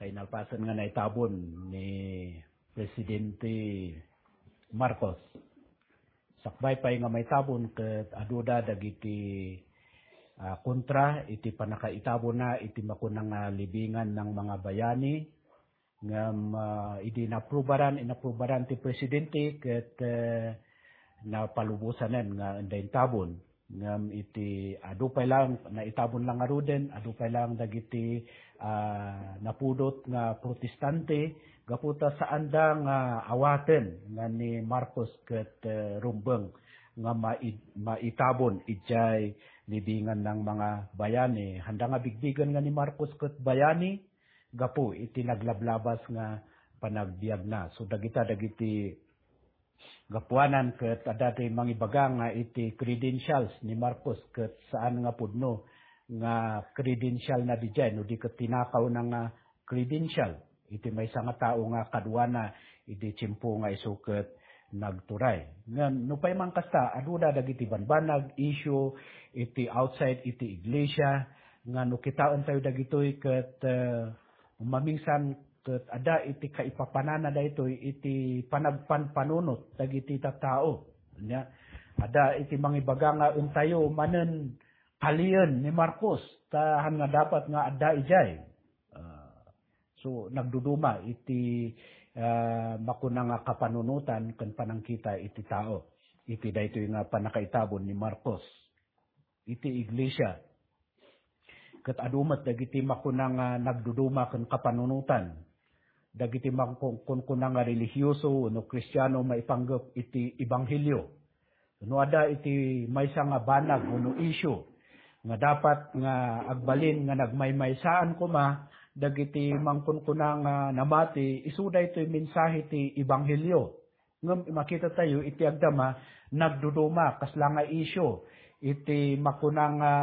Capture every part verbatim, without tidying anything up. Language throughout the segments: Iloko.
Inalpasen nga naitabon ni Presidente Marcos. Sakbay pay nga maitabon ket aduda dagiti, ah, kontra iti pannakaitabonna iti makuna nga libingan ng mga bayani, ngem, ah, idi inaprubaran, inaprubaran ti presidente ket, eh, napalubosanen nga enda intabon. Ngem iti adu pay lang, naitabon lang ngaruden, adu pay lang dagiti, ah, napudot nga protestante, gapu ta saanda nga awaten nga ni Marcos ket, eh, rumbeng nga mai-, maitabon idiay libingan ng mga bayani. Handa nga bigbigen nga ni Marcos ket bayani gapu iti naglablabas nga panagbiagna. So, dagita dagiti gapuanan ket adda ti mangibaga nga iti credentials ni Marcos ket saan nga pudno nga credential na didiay, no di ket tinakawna nga credential iti maysa nga tao nga kaduana idi tiempo nga isu ket nagturay. Ngem nupay man kasta, aduda dagiti banbanag, issue iti outside iti iglesia nga no kitaentayo dagitoy ket, eh, mamingsan ket adda iti kaipapanana daytoy iti panagpanpanunot dagiti tattao. Ania, adda iti mangibaga nga entayo manen kalien ni Marcos, ta han nga dapat nga adda idiay. Ah, so, nagduduma iti, ah, makuna nga kapanunotan ken panangkita iti tao iti daytoy nga pannakaitabon ni Marcos iti iglesia. Ket adu met dagiti makuna nga nagduduma ken kapanunotan dagiti makun-, kunkuna nga relihioso wenno Kristiano maipanggep iti ebanghelio. No adda iti maysa nga banag wenno issue nga dapat nga agbalin nga nagmaymaysaan koma dagiti mangkunkuna nga namati, isu daytoy mensahe ti ebanghelio. Ngem makita tayo iti agdama, nagduduma, kasla nga issue, iti makuna nga,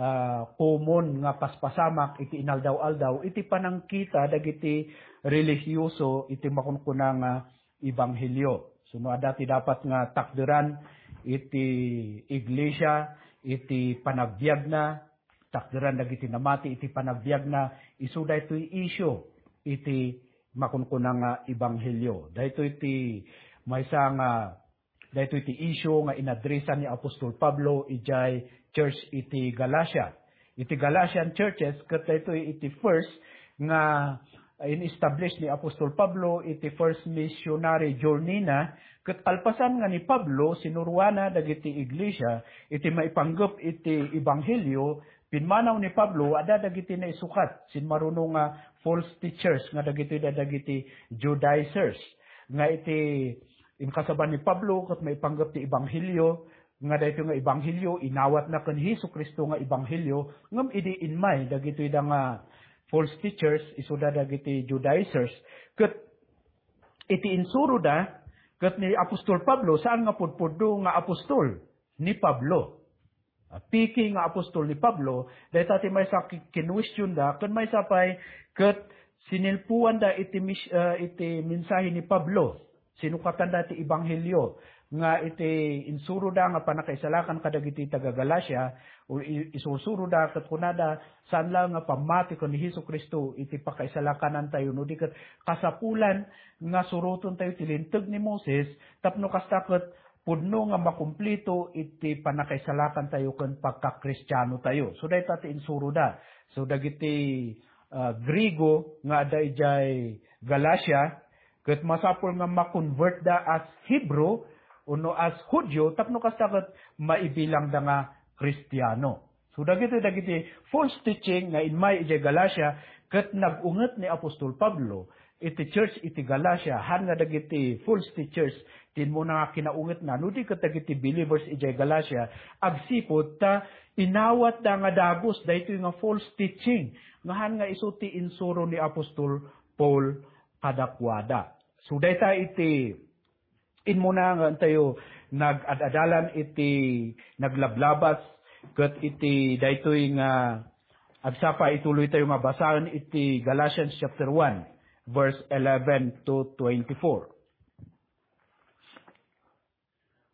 ah, common nga paspasamak iti inaldaw-aldaw, iti panangkita dagiti relihioso iti makunkuna nga ebanghelio. So, no adda ti dapat nga takderan iti iglesia, iti panagbiagna, takderan dagiti namati iti panagbiagna, isu daytoy issue iti makunkuna nga ebanghelio. Daytoy ti maysa nga, daytoy ti issue nga inadresan ni Apostol Pablo idiay church iti Galacia. Iti Galatian churches, ket daytoy iti first nga in-establish ni Apostol Pablo iti first missionary journey na, ket kalpasan nga ni Pablo sinuruana dagiti iglesia iti maipanggep iti ebanghelio, pimmanaw ni Pablo, adda dagiti naisukat, simmaruno nga false teachers, nga dagitoy da dagiti Judaizers. Nga iti inkasaba ni Pablo ket maipanggep ti ebanghelio, nga daytoy nga ebanghelio, inawatna ken Jesu-Cristo nga ebanghelio, ngem idi immay dagitoy da nga false teachers, isuda dagiti Judaizers, ket iti insuroda, ket ni Apostol Pablo, saan nga pudpudno nga apostol ni Pablo. Ah, piki nga apostol ni Pablo, dayta ti maysa ki-, kinuestionda, ken maysa pay ket sinilpuanda iti mis-, ah, iti mensahe ni Pablo. Sinukatanda ti ebanghelio nga iti insuroda nga pannakaisalakan kadagiti taga-Galacia, o i-, isursuroda ket kunada, saan la nga pammati ken ni Jesu-Cristo iti pakaisalakanantayo, no di ket kasapulan nga surotontayo ti Linteg ni Moses tapno kasta ket pudno nga makumplito iti pannakaisalakantayo ken pagkakristianotayo. So, dayta ti insuroda. So, dagiti, ah, Griego nga adda idiay Galacia, ket masapul nga ma-convertda as Hebrew wenno as Judio tapno kasta ket maibilangda nga Kristiano. So, dagiti, dagiti false teaching nga immay idiay Galacia, ket nag-unget ni Apostol Pablo iti church iti Galacia, han nga dagiti false teachers ti immuna nga kinaungetna, no di ket dagiti believers idiay Galacia, agsipud ta inawatda nga dagus daytoy nga false teaching, nga han nga isu ti insuro ni Apostol Paul kadakuada. So, dayta iti immuna nga intayo nag-ad-adalan iti naglablabas ket iti daytoy nga agsapa, ituloy tayo nga basaen iti Galatians chapter one, verse eleven to twenty-four.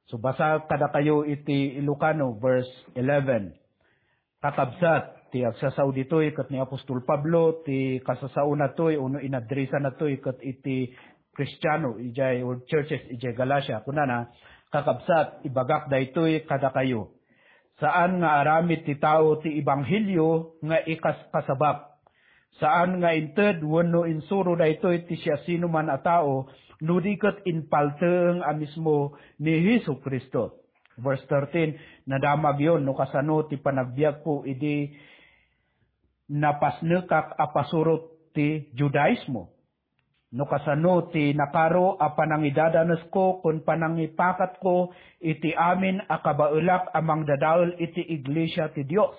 So, basa kadakayo iti Ilocano, verse eleven. Kakabsat, ti agsasao ditoy ket ni apostol Pablo, ti kasasaona toy, ono inadresa na toy ket iti Kristiano idiay, or churches idiay Galacia. Kunana, "Kakabsat, ibagak daytoy kadakayo. Saan nga aramid ti tao ti ebanghelio nga ikaskasabak. Saan nga inted wenno insuro daytoy ti siasinoman a tao, no di ket impalteeng a mismo ni Jesu-Cristo." Verse thirteen, "Nadamagyon no kasano ti panagbiagko idi napasnekak a pasurot ti Judaismo, no kasano ti nakaro a panangidadanesko ken panangipakatko iti amin a kabaelak a mangdadael iti iglesia ti Dios.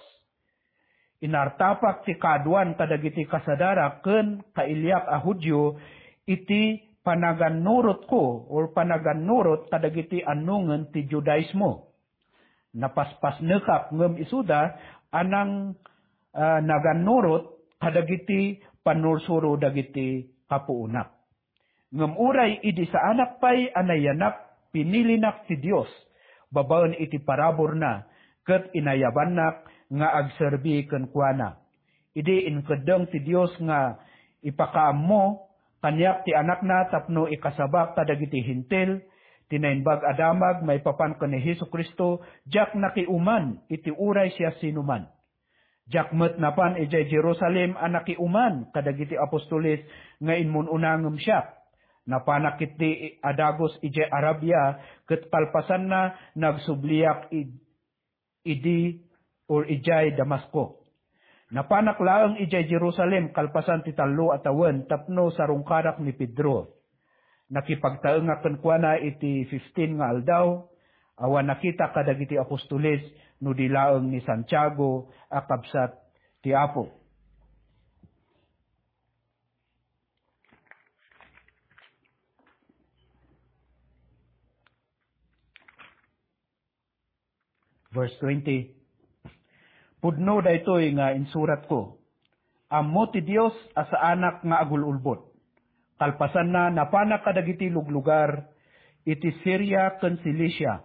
Inartapak ti kaaduan kadagiti kasadarak ken kailiak a Judio iti panagannurotko or panagannurot kadagiti annongen ti Judaismo. Napaspasnekak ngem isuda a nang, ah, nagannurot kadagiti pannursuro dagiti kapuonak. Ngem uray idi saanak pay a nayanak, pinilinak ti Dios babaen iti paraburna, ket inayabannak nga agserbi kenkuana. Idi inkeddeng ti Dios nga ipakaammo kaniak ti Anakna tapno ikasabak kadagiti Hentil ti Naimbag a Damag maipapan ken ni Jesu-Cristo, diak nakiuman iti uray siasinoman. Diak met napan idiay Jerusalem a nakiuman kadagiti apostoles nga immun-una ngem siak. Napanak ketdi a dagus idiay Arabia, ket kalpasanna, nagsubliak id-, idi or idiay Damasco. Napanak laeng idiay Jerusalem kalpasan ti tallo a tawen tapno sarungkarak ni Pedro. Nakipagtaengak kenkuana iti fifteen nga aldaw, awan nakita kadagiti apostoles no di laeng ni Santiago a kabsat ti Apo." Verse twenty, "Pudno daytoy nga insuratko. Ammo ti Dios a saanak nga agul-ulbod." Kalpasanna, napanak kadagiti luglugar iti Siria ken Cilicia.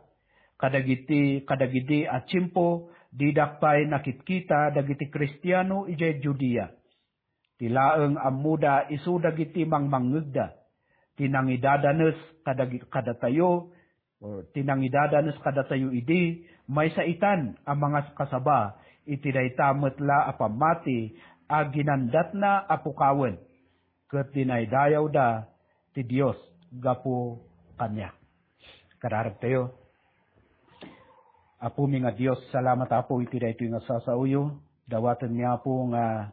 Kadagiti, kadagidi a tiempo, didak pay nakitkita dagiti Kristiano idiay Judea. Ti laeng ammoda isu dagiti mangmangngegda. Ti nangidadanes kadag-, kadatayo, or ti nangidadanes kadatayo idi, maysa itan a mangaskasaba iti dayta met la a pammati a ginandatna a pukawen, ket dinaydayawda ti Dios gapu kaniak. Kararagtayo. Apomi nga Dios, salamat, Apo, iti daytoy nga sasaoyo. Dawatenmi, Apo, nga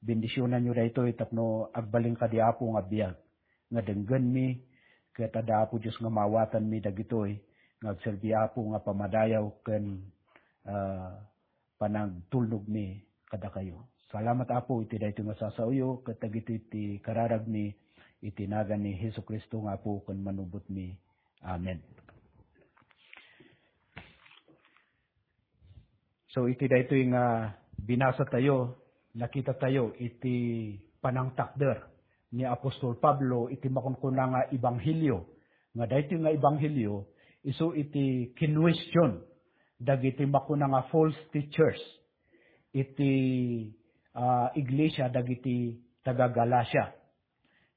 bendisionanyo daytoy tapno agbalin kadi, Apo, nga biag nga denggenmi, ket adda, Apo Dios, nga maawatanmi dagitoy nga agserbi, Apo, nga pammadayaw ken, ah, panagtulnogmi kadakayo. Salamat, Apo, iti daytoy nga sasaoyo ket dagitoy ti kararagmi iti nagan ni Jesu-Cristo nga Apo ken Manubotmi. Amen. So, iti daytoy nga binasa tayo, nakita tayo iti panangtakder ni Apostol Pablo iti makunkuna nga ebanghelio, nga daytoy nga ebanghelio isu iti kinwestiyon dagiti makuna nga false teachers iti, ah, iglesia dagiti taga-Galacia.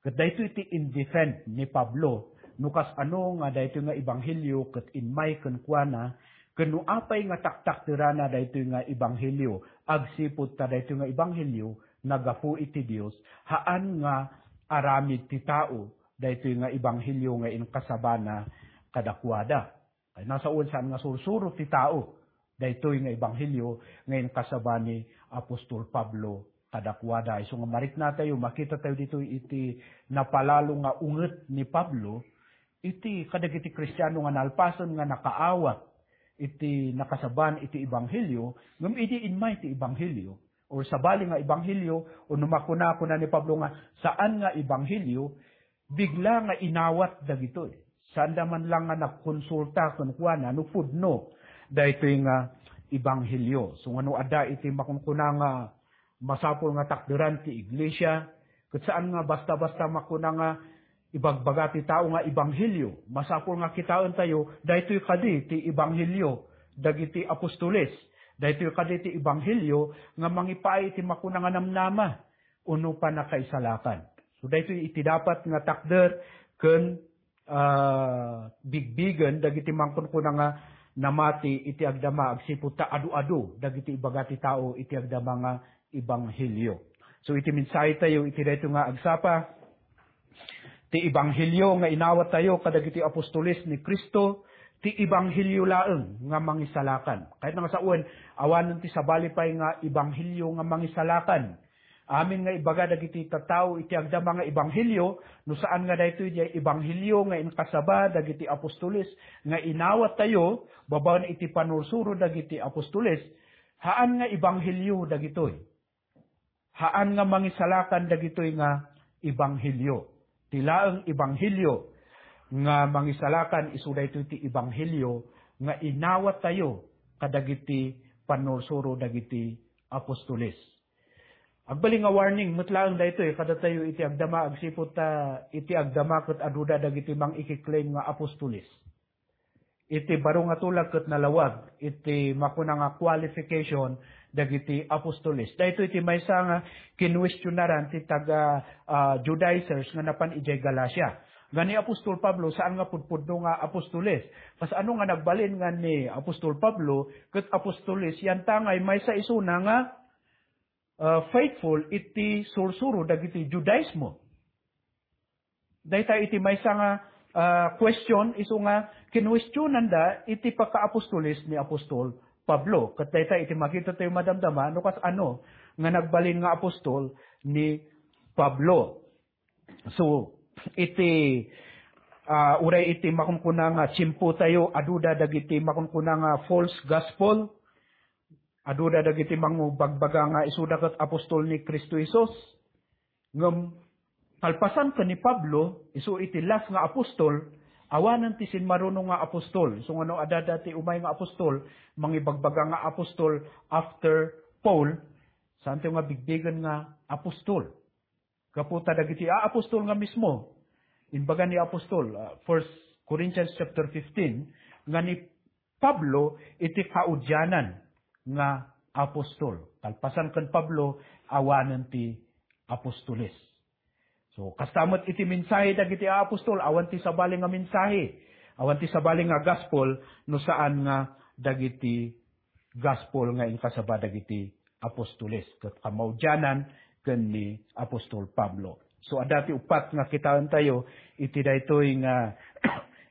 Ket daytoy ti in-defend ni Pablo no kasano nga daytoy nga ebanghelio ket immay kenkuana, ken no apay nga taktakderana daytoy nga ebanghelio, agsipud ta daytoy nga ebanghelio naggapu iti Dios, haan nga aramid ti tao daytoy nga ebanghelio nga inkasabana kadakuada. Ay, nasawen saan nga sursuro ti tao daytoy nga ebanghelio nga inkasaba ni Apostol Pablo kadakuada. Isu nga mariknatayo, makitatayo ditoy iti napalalo nga unget ni Pablo iti kadagiti Kristiano nga nalpasen nga nakaawat iti nakasaban iti ebanghelio, ngem idi immay ti ebanghelio, or sabali nga ebanghelio, o no makuna, kuna ni Pablo nga saan nga ebanghelio, bigla nga inawat dagitoy. Saanda man lang nga nagkonsulta kenkuana no pudno daytoy nga ebanghelio. So, nga no adda iti makunkuna nga masapul nga takderan ti iglesia, ket saan nga basta-basta makuna nga ibagbaga ti tao nga ebanghelio. Masapul nga kitaentayo, daytoy kadi ti ebanghelio dagiti apostoles. Daytoy kadi ti ebanghelio nga mangipaay iti makuna nga namnama wenno pannakaisalakan. So, daytoy iti dapat nga takder ken, ah, bigbigen dagiti mangkunkuna nga namati iti agdama agsipud ta adu-adu dagiti ibaga ti tao iti agdama nga ebanghelio. So, iti mensahe tayo iti daytoy nga agsapa, ti ebanghelio nga inawat tayo kadagiti apostoles ni Cristo, ti ebanghelio laeng nga mangisalakan. Kayatna nga sawen, awanen ti sabali pay nga ebanghelio nga mangisalakan. Amin nga ibaga dagiti tattao iti agdama nga ebanghelio, no saan nga daytoy diay ebanghelio nga inkasaba dagiti apostoles nga inawat tayo babaen iti panursuro dagiti apostoles, haan nga ebanghelio dagitoy. Haan nga mangisalakan dagitoy nga ebanghelio. Ti laeng ebanghelio nga mangisalakan isu daytoy ti ebanghelio nga inawat tayo kadagiti pannursuro dagiti apostoles. Agbalin nga warning met laeng daytoy kadatayo iti agdama agsipud ta iti agdama ket aduda dagiti mangikiklaim nga apostoles. Iti baro nga tulag ket nalawag iti makuna nga qualification dagiti apostoles. Daytoy ti maysa nga kinwestiyonaran ti taga, ah, Judaizers nga napan idiay Galacia. Nga ni apostol Pablo, saan nga pudpudno nga apostoles. Kasano nga nagbalin nga ni apostol Pablo ket apostoles, yantangay maysa isuna nga, ah, faithful iti sursuro dagiti Judaismo. Dayta iti maysa nga, ah, question isu nga kinwestionanda iti pagkaapostoles ni apostol Pablo. Ket dayta iti makita tayo madamdama no kasano nga nagbalin nga apostol ni Pablo. So, iti, ah, uray iti makunkuna nga tiempo tayo, aduda dagiti makunkuna nga false gospel, aduda dagiti mangubagbaga nga isuda ket apostol ni Cristo Jesus. Ngem kalpasan ken ni Pablo, isu iti last nga apostol, awanen ti simmaruno nga apostol. Isu nga no adda ti umay nga apostol, mangibagbaga nga apostol after Paul, saantayo nga bigbigen nga apostol. Gapu ta dagiti a-, apostol nga mismo, imbaga ni apostol, ah, First Corinthians chapter fifteen, nga ni Pablo iti kaudianan nga apostol. Kalpasan ken Pablo, awanen ti apostoles. So, kasta met iti mensahe dagiti apostol, awan ti sabali nga mensahe, awan ti sabali nga gospel, no saan nga dagiti gospel nga inkasaba dagiti apostoles, ket kamaudianan ken ni apostol Pablo. So, adda ti uppat nga kitaentayo iti daytoy nga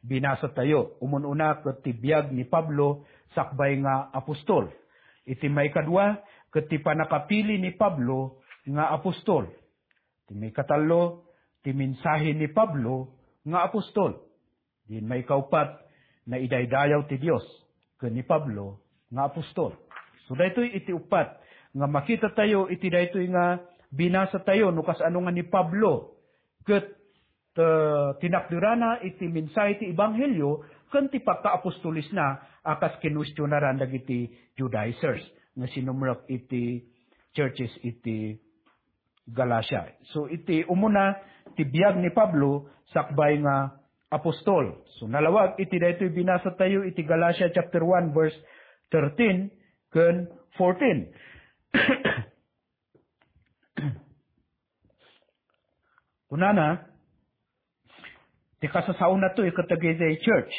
binasatayo. Umun-una, ket ti biag ni Pablo sakbay nga apostol. Iti maikadua, ket ti pannakapili ni Pablo nga apostol. Ti maikatallo, ti mensahe ni Pablo nga apostol. Din maikaupat, naidaydayaw ti Dios ken ni Pablo nga apostol. So, daytoy iti uppat nga makitatayo iti daytoy nga binasatayo no kasano nga ni Pablo ket, eh, tinakderana iti mensahe ti ebanghelio ken ti pagkaapostolesna a kas kinwestionaran dagiti Judaizers nga sinumrek iti churches iti Galacia. So, iti umuna, ti biag ni Pablo sakbay nga apostol. So, nalawag iti daytoy binasatayo iti Galacia chapter one, verse thirteen ken fourteen. Kunana, ti kasasaona toy ket dagiti church.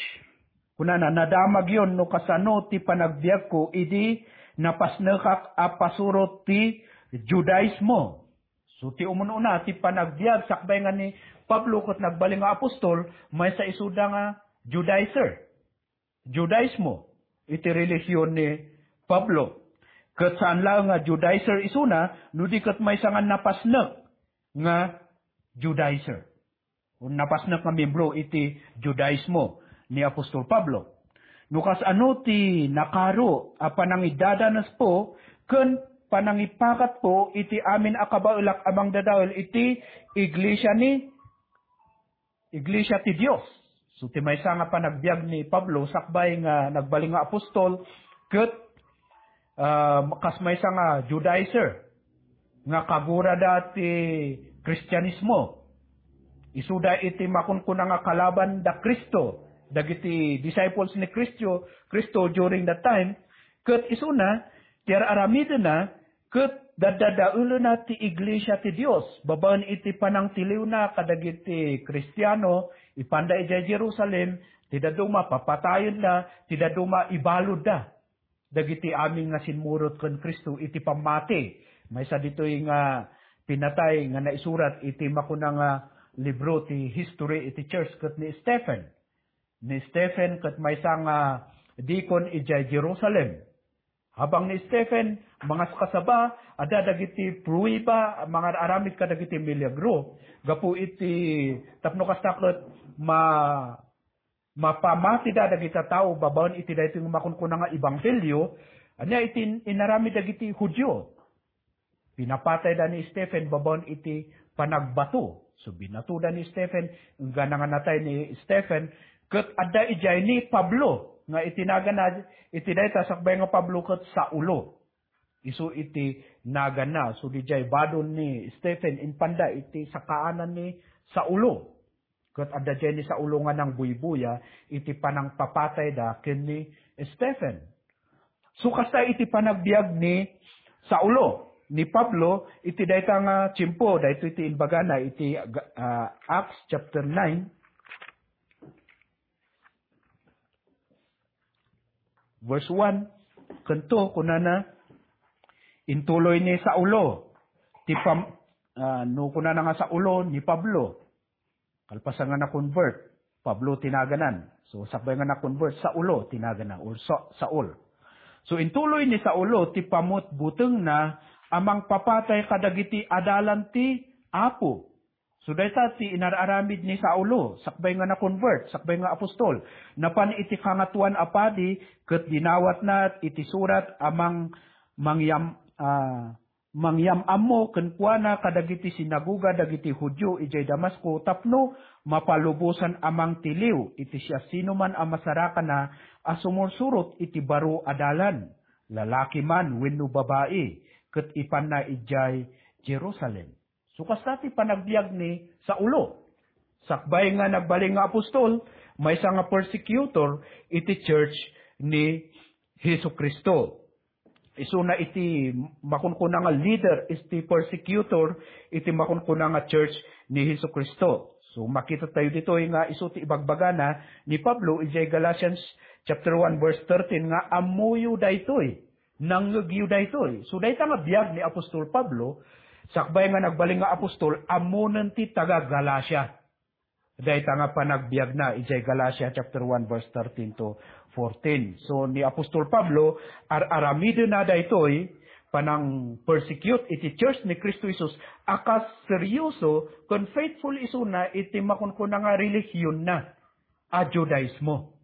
Kunana, "Nadamagyon no kasano ti panagbiagko idi napasnekak a pasuro ti Judaismo." So, ti umun-una, ti panagbiag sakbay nga ni Pablo ket nagbalin nga apostol, maysa isuda nga Judaizer. Judaismo iti relihion ni Pablo. Ket saan laeng nga Judaizer isuna, no di ket maysa nga napasnek nga Judaizer. O napasnek nga membro iti Judaismo ni Apostol Pablo. No kasano ti nakaro a panangidadanespo ken panangipakatpo iti amin a kabaelak a mangdadael iti iglesia ni iglesia ti Dios. So, ti maysa nga panagbiag ni Pablo, sakbay nga nagbalin nga apostol, ket, ah, kas maysa nga Judaizer, nga kagurada ti Kristianismo. Isuda iti makunkuna nga kalaban da Cristo, dagiti disciples ni Cristo, Cristo during that time, ket isuna, ti ar-aramidenna, ket daddadaelena ti iglesia ti Dios, babaen iti panangtiliwna kadagiti Kristiano, ipanda idiay Jerusalem, ti dadduma papatayenna, ti dadduma ibaludda dagiti amin nga simmurot ken Cristo iti pammati. Maysa ditoy nga pinatay nga naisurat iti makuna nga libro ti history iti church ket ni Stephen. Ni Stephen ket maysa nga deacon idiay Jerusalem. Habang ni Stephen, mangaskasaba, adda dagiti prueba, mangar-aramid kadagiti milagro. Gapu iti, tapno kasta ket ma-, mapamatida dagiti tao babaen iti daytoy nga makunkuna nga ebanghelio, ania iti in-, inaramid dagiti Judio? Pinapatayda ni Stephen babaen iti panagbato. So, binatoda ni Stephen, enggana nga natay ni Stephen, ket adda idiay ni Pablo, nga iti nagana, iti dayta sakbay nga Pablo ket Saulo. Isu iti nagana. So, didiay badon ni Stephen, impanda iti sakaanan ni Saulo. Ket adda diay ni Saulo nga nangbuybuya iti panangpapatayda ken ni Stephen. So, kasta iti panagbiag ni Saulo, ni Pablo, iti dayta nga tiempo, daytoy ti imbagana iti, ah, Acts chapter nine, verse one, ken two, kunana, intuloy ni Saulo, ti pam-, ah, no kunana nga Saulo, ni Pablo. Kalpasan nga na-convert, Pablo ti naganan. So, sakbay nga na-convert, Saulo ti nagana, or Sa-, Saul. So, intuloy ni Saulo ti pamutbutengna a mangpapatay kadagiti adalan ti Apo. So, dayta ti inar-aramid ni Saulo, sakbay nga na-convert, sakbay nga apostol. Napan iti Kangatoan a Padi, ket dinawatna iti surat a mang-, mangyam-, ah, mangyam-ammo kenkuana kadagiti sinagoga dagiti Judio idiay Damasco tapno mapalubosan a mangtiliw iti siasinoman a masarakana a sumursurot iti baro a dalan, lalaki man wenno babai, ket ipanna idiay Jerusalem. So, kasta ti panagbiag ni Saulo. Sakbay nga nagbalin nga apostol, maysa nga persecutor iti church ni Jesu-Cristo. Isuna iti makunkuna nga leader, iti persecutor, iti makunkuna nga church ni Jesu-Cristo. So, makita tayo ditoy nga isu ti ibagbagana ni Pablo idiay Galatians chapter one, verse thirteen, nga ammoyo daytoy, nangngegyo daytoy. So, dayta nga biag ni Apostol Pablo, sakbay nga nagbalin nga apostol, ammonen ti taga-Galacia. Dayta nga panagbiagna idiay Galacia chapter one, verse thirteen to fourteen. So, ni Apostol Pablo, ar-aramidena daytoy, panang-persecute iti church ni Cristo Jesus, a kas seryoso ken faithful isuna iti makunkuna nga relihionna a Judaismo.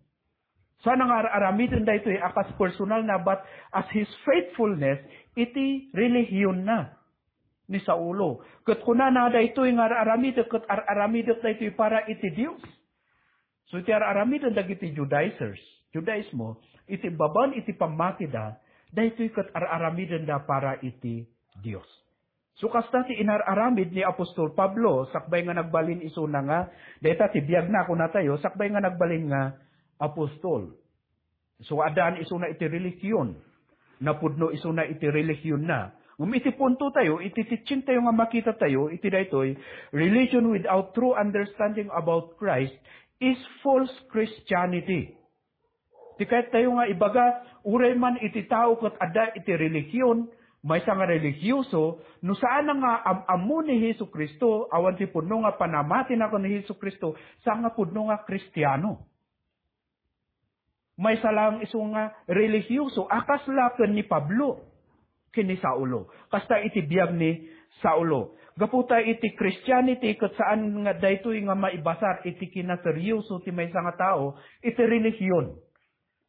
Sana nga ar-aramiden daytoy a kas personalna, but as his faithfulness iti relihionna ni Saulo. Ket kunana, daytoy nga ar-aramidek ket ar-aramidek daytoy para iti Dios. So, iti ar-aramiden dagiti Judaizers, Judaismo, iti babaen iti pammatida, daytoy ket ar-aramidenda para iti Dios. So, kasta ti inar-aramid ni Apostol Pablo, sakbay nga nagbalin isuna nga, dayta ti biagna, kunatayo, sakbay nga nagbalin nga apostol. So, addaan isuna iti relihion. Napudno isuna iti relihionna. Ngem iti punto tayo, iti teaching tayo nga makita tayo, iti daytoy, religion without true understanding about Christ is false Christianity. Ti kayat tayo nga ibaga, uray man iti tao ket adda iti relihion, maysa nga relihiyoso, no saan nga am-ammo ni Jesu-Cristo, awan ti pudno nga panamatina ken ni Jesu-Cristo, saan nga pudno nga Kristiano. Maysa laeng isu nga relihiyoso a kasla ken ni Pablo ken ni Saulo. Kasta iti biag ni Saulo. Gapu ta iti Christianity ket saan nga daytoy nga maibasar iti kinaseryoso ti maysa nga tao iti relihion.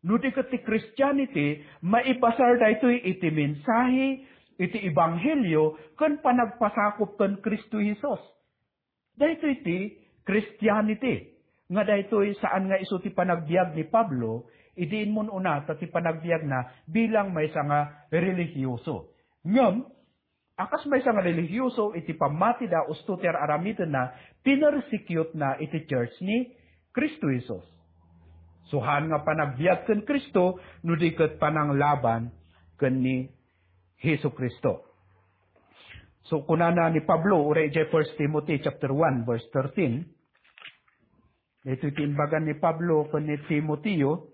No di ket ti Christianity, maibasar daytoy iti mensahe, iti ebanghelio, ken panagpasakop ken Cristo Jesus. Daytoy ti Christianity, nga daytoy saan nga isu ti panagbiag ni Pablo, idi immun-una ta ti panagbiagna bilang maysa nga relihiyoso. Ngem, a kas maysa nga relihiyoso, iti pammatida usto ti ar-aramidenna, pinersecute na iti church ni Cristo Jesus. Suhan nga panagbiag ken Cristo, no di ket pananglaban ken ni Jesu-Cristo. So, kunana ni Pablo, uray idiay First Timothy chapter one, verse thirteen, daytoy ti imbagan ni Pablo ken ni Timoteo.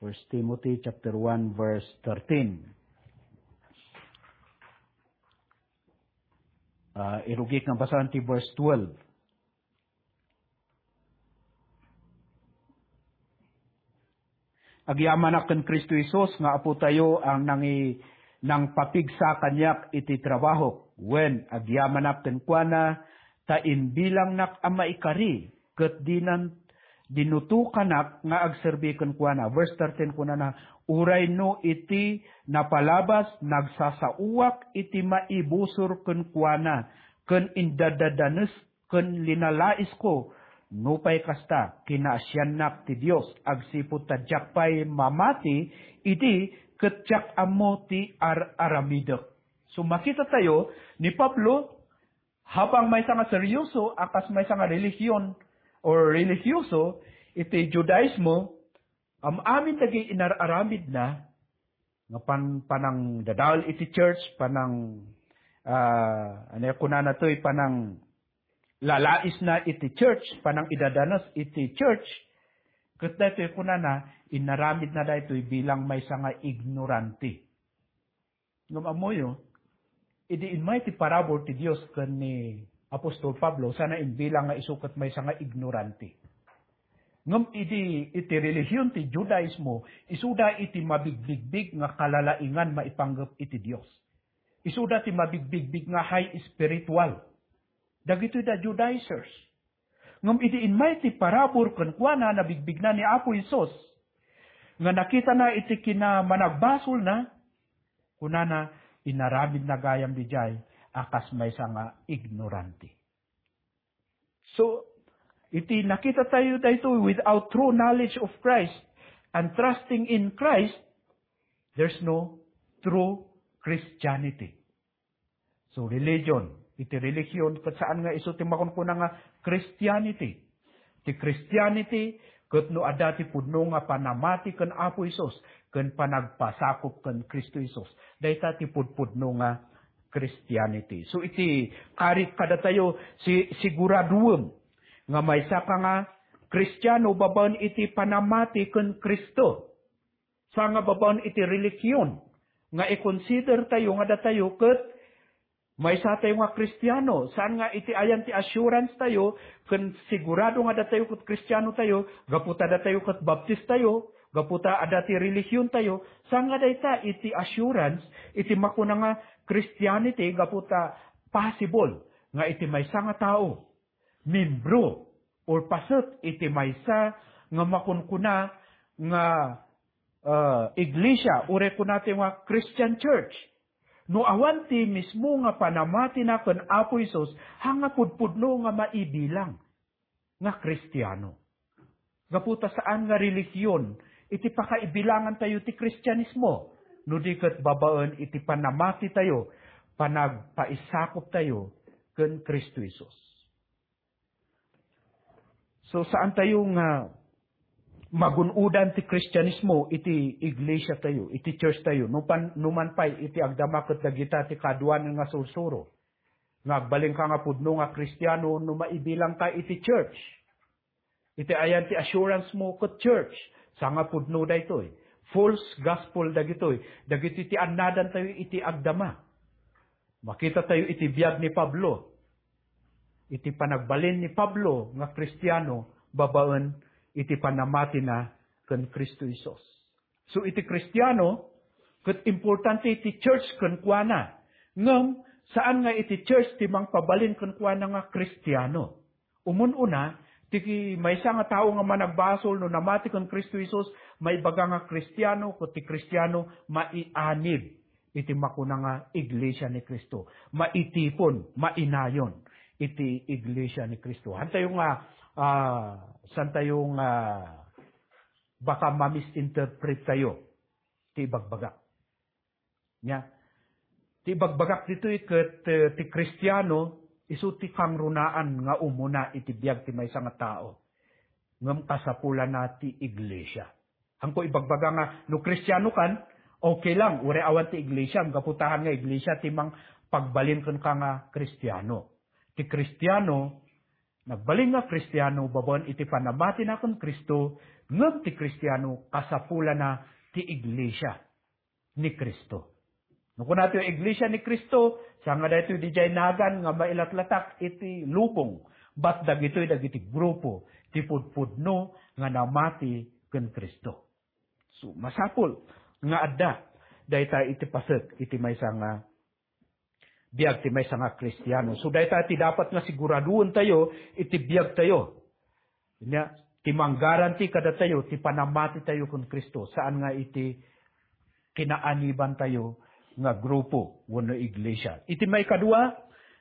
First Timothy chapter one, verse thirteen. Ah, irugik nga basaen ti verse twelve. Agyamanak ken Cristo Jesus nga Apotayo a nangi-, nangpapigsa kaniak iti trabahok. Wen, agyamanak kenkuana ta imbilangnak a maikari, ket dinan dinutokanak nga agserbi kenkuana. Verse thirteen kunana, "Uray no iti napalabas, nagsasaoak iti maibusor kenkuana, ken indadadanes ken linalaisko. Nupay kasta, kinaasiannak ti Dios agsipud ta diak pay mamati idi ket diak ammo ti ar-aramidek." So, makita tayo ni Pablo, habang maysa nga seryoso a kas maysa nga relihiyon or relihiyoso iti Judaismo, am-amin dagiti inar-aramidna nga pan-, panangdadael iti church, panang, ah, ania kunana toy, pananglalaisna iti church, panangidadanes iti church, ket daytoy kunana, inaramidna daytoy bilang maysa nga ignorante. Ngem ammoyo, idi immay ti parabur ti Dios ken ni apostol Pablo, sana imbilang nga isu ket maysa nga ignorante. Ngem idi iti relihiyon ti Judaismo, isuda iti mabigbigbig nga kalalaingan maipanggep iti Dios. Isuda ti mabigbigbig nga high spiritual. Dagitoy da Judaizers. Ngem idi immay ti parabur kenkuana, nabigbigna ni Apo Jesus nga nakitana iti kinamanagbasolna, kunana, inaramidna gayam didiay a kas maysa nga ignorante. So, iti nakita tayo daytoy, without true knowledge of Christ and trusting in Christ, there's no true Christianity. So, religion, iti religion, ket saan nga isu ti makunkuna nga Christianity. Ti Christianity, ket no adda ti pudno nga panamati ken Apo Jesus, ken panagpasakop ken Cristo Jesus. Dayta ti pudpudno nga Christianity. So, iti karit kadatayo, si-, siguraduem nga maysa ka nga Kristiano babaen iti panamati ken Cristo. Sa nga babaen iti relihiyon nga i-consider tayo nga datayo ket maysa tayo nga Kristiano. Saan nga iti ayan ti assurance tayo ken sigurado nga datayo ket Kristiano tayo, gapu ta datayo ket Baptist tayo, gapu ta adda ti relihiyon tayo. Saan nga dayta iti assurance iti makuna nga Christianity, gapu ta possible nga iti maysa nga tao, membro or paset iti maysa nga makunkuna nga, ah, iglesia, uray kunatayo nga Christian church. No awan ti mismo nga panamatina ken Apo Jesus, haan nga pudpudno nga maibilang nga Kristiano? Gapu ta saan nga relihiyon iti pakaibilangan tayo ti Kristianismo, no di ket babaen iti panamati tayo, panagpaisakop tayo ken Cristo Jesus. So, saan tayo nga magun-odan ti Kristianismo iti iglesia tayo, iti church tayo, no pan-, no man pay iti agdama ket dagita ti kaduanan nga sursuro. Nga agbalin ka nga pudno nga Kristiano no maibilang ka iti church. Iti ayan ti assurance mo ket church, saan nga pudno daytoy. False gospel dagitoy, dagiti ti annadan tayo iti agdama. Makita tayo iti biag ni Pablo. Iti panagbalin ni Pablo nga Kristiano babaen iti panamatina ken Cristo Jesus. So, iti Kristiano, ket importante iti church kenkuana. Ngem, saan nga iti church ti mangpabalin kenkuana nga Kristiano. Umun-una, ti maysa nga tao nga managbasol no namati ken Cristo Jesus, maibaga nga Kristiano, ket ti Kristiano maianib iti makuna nga Iglesia ni Cristo. Maitipon, mainayon iti Iglesia ni Cristo. Hantayo nga, ah, santayo nga baka ma-misinterpret tayo ti ibagbagak. Nya, ti ibagbagak ditoy ket, eh, ti Kristiano, Isu ti kangrunaan nga umuna iti biag ti maysa nga tao. Ngem kasapulana ti iglesia. Haanko ibagbaga nga no Kristiano kan, okay lang, uray awan ti iglesia, gapu ta haan nga iglesia ti mangpagbalin kenka nga Kristiano. Ti Kristiano, nagbalin nga Kristiano babaen iti panamatina ken Cristo, ngem ti Kristiano kasapulana ti iglesia ni Cristo. No kunatayo iglesia ni Cristo, saan nga daytoy didiay nagan nga mailatlatak iti lubong, bat dagitoy dagiti grupo ti pudpudno nga namati ken Cristo. So, masapul nga adda dayta iti paset iti maysa nga biag ti maysa nga Kristiano. So, dayta ti dapat nga siguraduentayo iti biagtayo. Nia, ti manggaranti kadatayo ti panamatitayo ken Cristo, saan nga iti kinaanibantayo nga grupo wenno iglesia. Iti maikadua,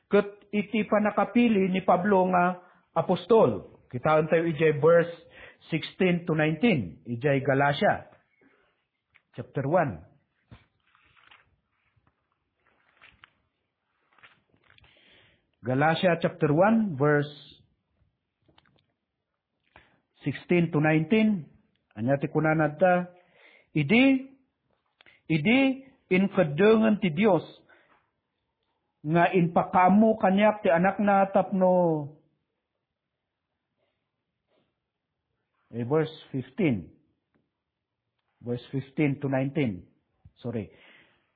ket iti pannakapili ni Pablo nga apostol. Kitaentayo idiay verse sixteen to nineteen, idiay Galacia, chapter one. Galacia chapter one, verse sixteen to nineteen. Ania ti kunana ta? Idi, idi inkeddengen ti Dios nga impakaammo kaniak ti Anakna tapno, eh, verse fifteen. Verse fifteen to nineteen. Sorry.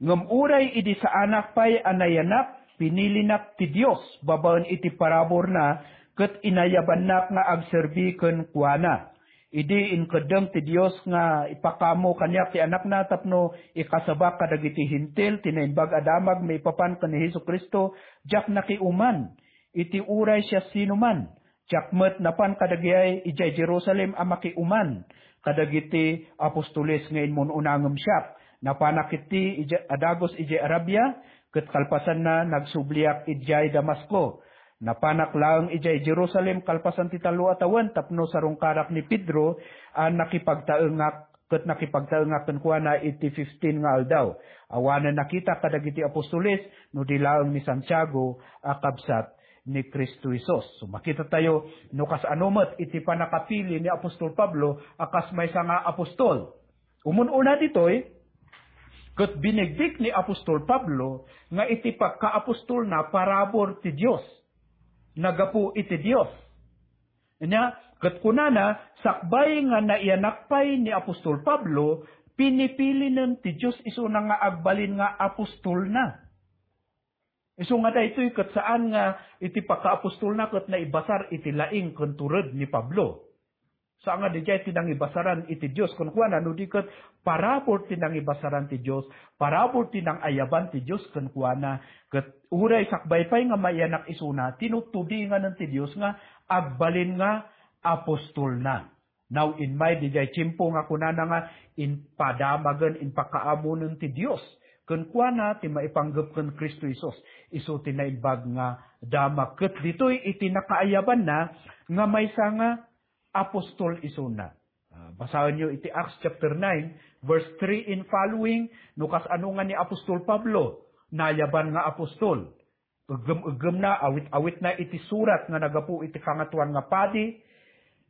Ngem uray idi saanak pay a nayanak, pinilinak ti Dios babaen iti paraburna ket inayabannak nga agserbi kenkuana. Idi inkeddeng ti Dios nga ipakaammo kaniak ti Anakna tapno ikasabak kadagiti Hentil ti naimbag a damag maipapan ken ni Jesu-Cristo, diak nakiuman iti uray siasinoman. Diak met napan kadagiti idiay Jerusalem a makiuman kadagiti apostoles nga immun-una ngem siak. Napanak iti idiay, a dagus idiay Arabia, ket kalpasanna, nagsubliak idiay Damasco. Napanak laeng idiay Jerusalem kalpasan ti tallo a tawen tapno sarungkarak ni Pedro a nakipagtaengak ket nakipagtaengak kenkuana iti fifteen nga aldaw. Awanen nakitak kadagiti apostoles no di laeng ni Santiago a kabsat ni Cristo Jesus. So, makitatayo no kasano met iti pannakapili ni Apostol Pablo a kas maysa nga apostol. Umun-una ditoy, ket binigdik ni Apostol Pablo nga iti pagkaapostolna parabur ti Dios. Nagapu iti Dios. Ania, ket kunana, sakbay nga naiyanak pay ni Apostol Pablo, pinipilinen ti Dios isuna nga agbalin nga apostolna. Isu nga daytoy ket saan nga iti pakaapostolna ket naibasar iti laing ken tured ni Pablo. Saan nga didiay ti nangibasaran iti Dios, kenkuana, no di ket parabur ti nangibasaran ti Dios, parabur ti nangayaban ti Dios kenkuana, ket uray sakbay pay nga maiyanak isuna, tinutudinganen ti Dios nga agbalin nga apostolna. Now, immay didiay tiempo nga kunana nga impadamagen, impakaamonen ti Dios kenkuana ti maipanggep ken Cristo Jesus. Isu ti naimbag nga damag. Ket ditoy iti nakaayabanna nga maysa nga apostol isuna. Ah, basaenyo iti Acts chapter nine, verse three and following, no kasano nga ni Apostol Pablo, nayaban nga apostol. Eggem-eggemna, awit-awitna iti surat nga nagapu iti Kangatoan nga Padi,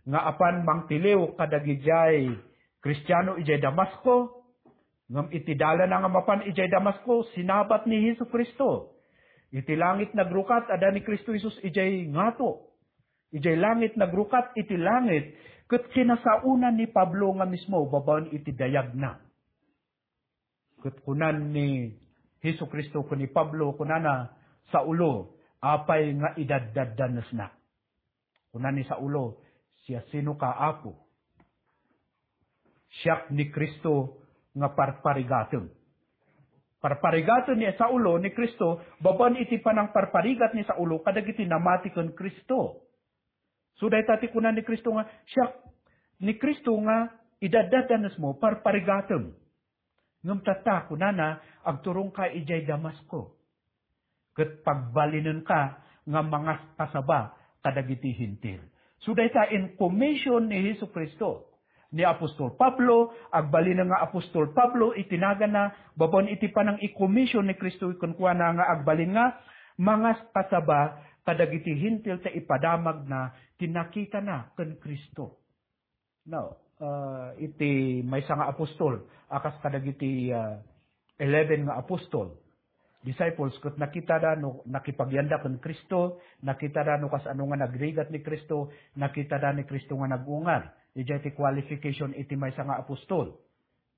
nga apan mangtiliw kadagidiay Kristiano idiay Damasco, ngem iti dalana nga mapan idiay Damasco, sinabat ni Jesu-Cristo. Iti langit nagrukat, adda ni Cristo Jesus idiay ngato. Idiay langit nagrukat iti langit, ket kinasaona ni Pablo nga mismo babaen iti dayagna. Ket kunan ni Jesu-Cristo ken ni Pablo, kunana, "Saulo, apay nga idaddanesnak?" Kunan ni Saulo, "Siasinoka, Apo?" "Siak ni Cristo nga parparigatem." Parparigaten ni Saulo ni Cristo, babaen iti panangparparigat ni Saulo kadagiti namati ken Cristo. So, dayta ti kuna ni Cristo nga, "Siak ni Cristo nga idaddanesmo, parparigatem." Ngem tatta, kunana, "Agturongka idiay Damasco. Ket pagbalinenka nga mangaskasaba kadagiti Hentil." So, dayta in commission ni Jesu-Cristo. Ni Apostol Pablo, agbalinen nga Apostol Pablo iti naganna, babaen iti panang-i-commission ni Cristo kenkuana nga agbalin nga mangaskasaba kadagiti Hentil ta ipadamagna ti nakitana ken Cristo. Now, ah, iti maysa nga apostol, a kas kadagiti, ah, eleven nga apostol, disciples, ket nakitada no nakipagyanda ken Cristo, nakitada no kasano nga nagrigat ni Cristo, nakitada ni Cristo nga nag-ungar. Idiay ti qualification iti maysa nga apostol.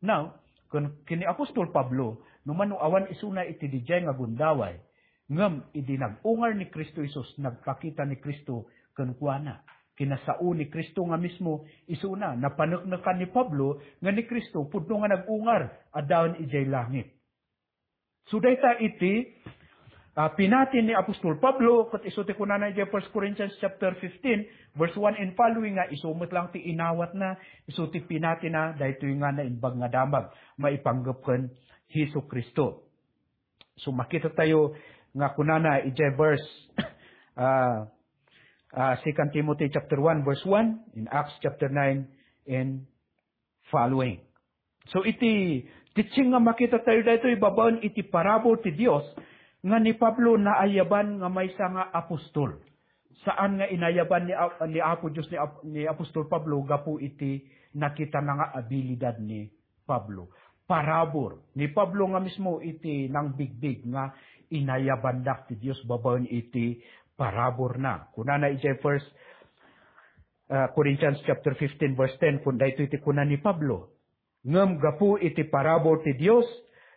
Now, ken, ken ni apostol Pablo, no mano awan isuna iti didiay nga gundaway, ngem idi nag-ungar ni Cristo Jesus, nagpakita ni Cristo kenkuana. Kinasao ni Cristo nga mismo isuna, napaneknekan ni Pablo nga ni Cristo pudno nga nag-ungar, addaen idiay langit. So, dayta iti, ah, pinati ni apostol Pablo, ket isu ti kunana idiay First Corinthians chapter fifteen, verse one and following, nga isu met lang ti inawatna, isu ti pinatina, daytoy nga naimbag nga damag, maipanggep ken Jesu Cristo. So, makita tayo nga kunana idiay verse, ah, ah, Second Timothy chapter one, verse one, in Acts chapter nine, and following. So, iti teaching nga makita tayo daytoy babaen iti parabur ti Dios nga ni Pablo naayaban nga maysa nga apostol. Saan nga inayaban ni A-, ni Apo Dios ni Ap-, ni Apostol Pablo gapu iti nakitana nga abilidad ni Pablo. Parabur. Ni Pablo nga mismo iti nangbigbig nga inayabandak ti Dios babaen iti paraburna. Kunana idiay First, ah, Corinthians chapter fifteen, verse ten, kun daytoy ti kuna ni Pablo, "Ngem gapu iti parabur ti Dios,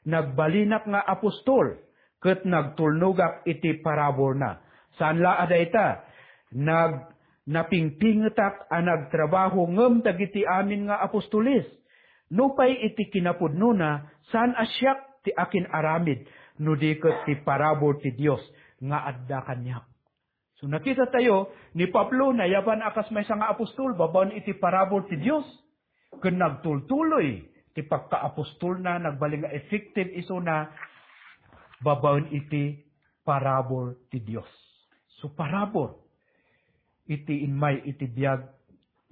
nagbalinak nga apostol, ket nagtulnogak iti paraburna. Saan la a dayta, nag-, napingpingetak a nagtrabaho ngem dagiti amin nga apostoles. Nupay iti kinapudnona, saan a siak ti akin-aramid, no di ket ti parabur ti Dios nga adda kaniak." So, nakita tayo, ni Pablo, nayaban a kas maysa nga apostol, babaen iti parabur ti Dios. Ken nagtultuloy ti pagkaapostolna, nagbalin nga effective isuna, babaen iti parabur ti Dios. So, parabur iti immay iti biag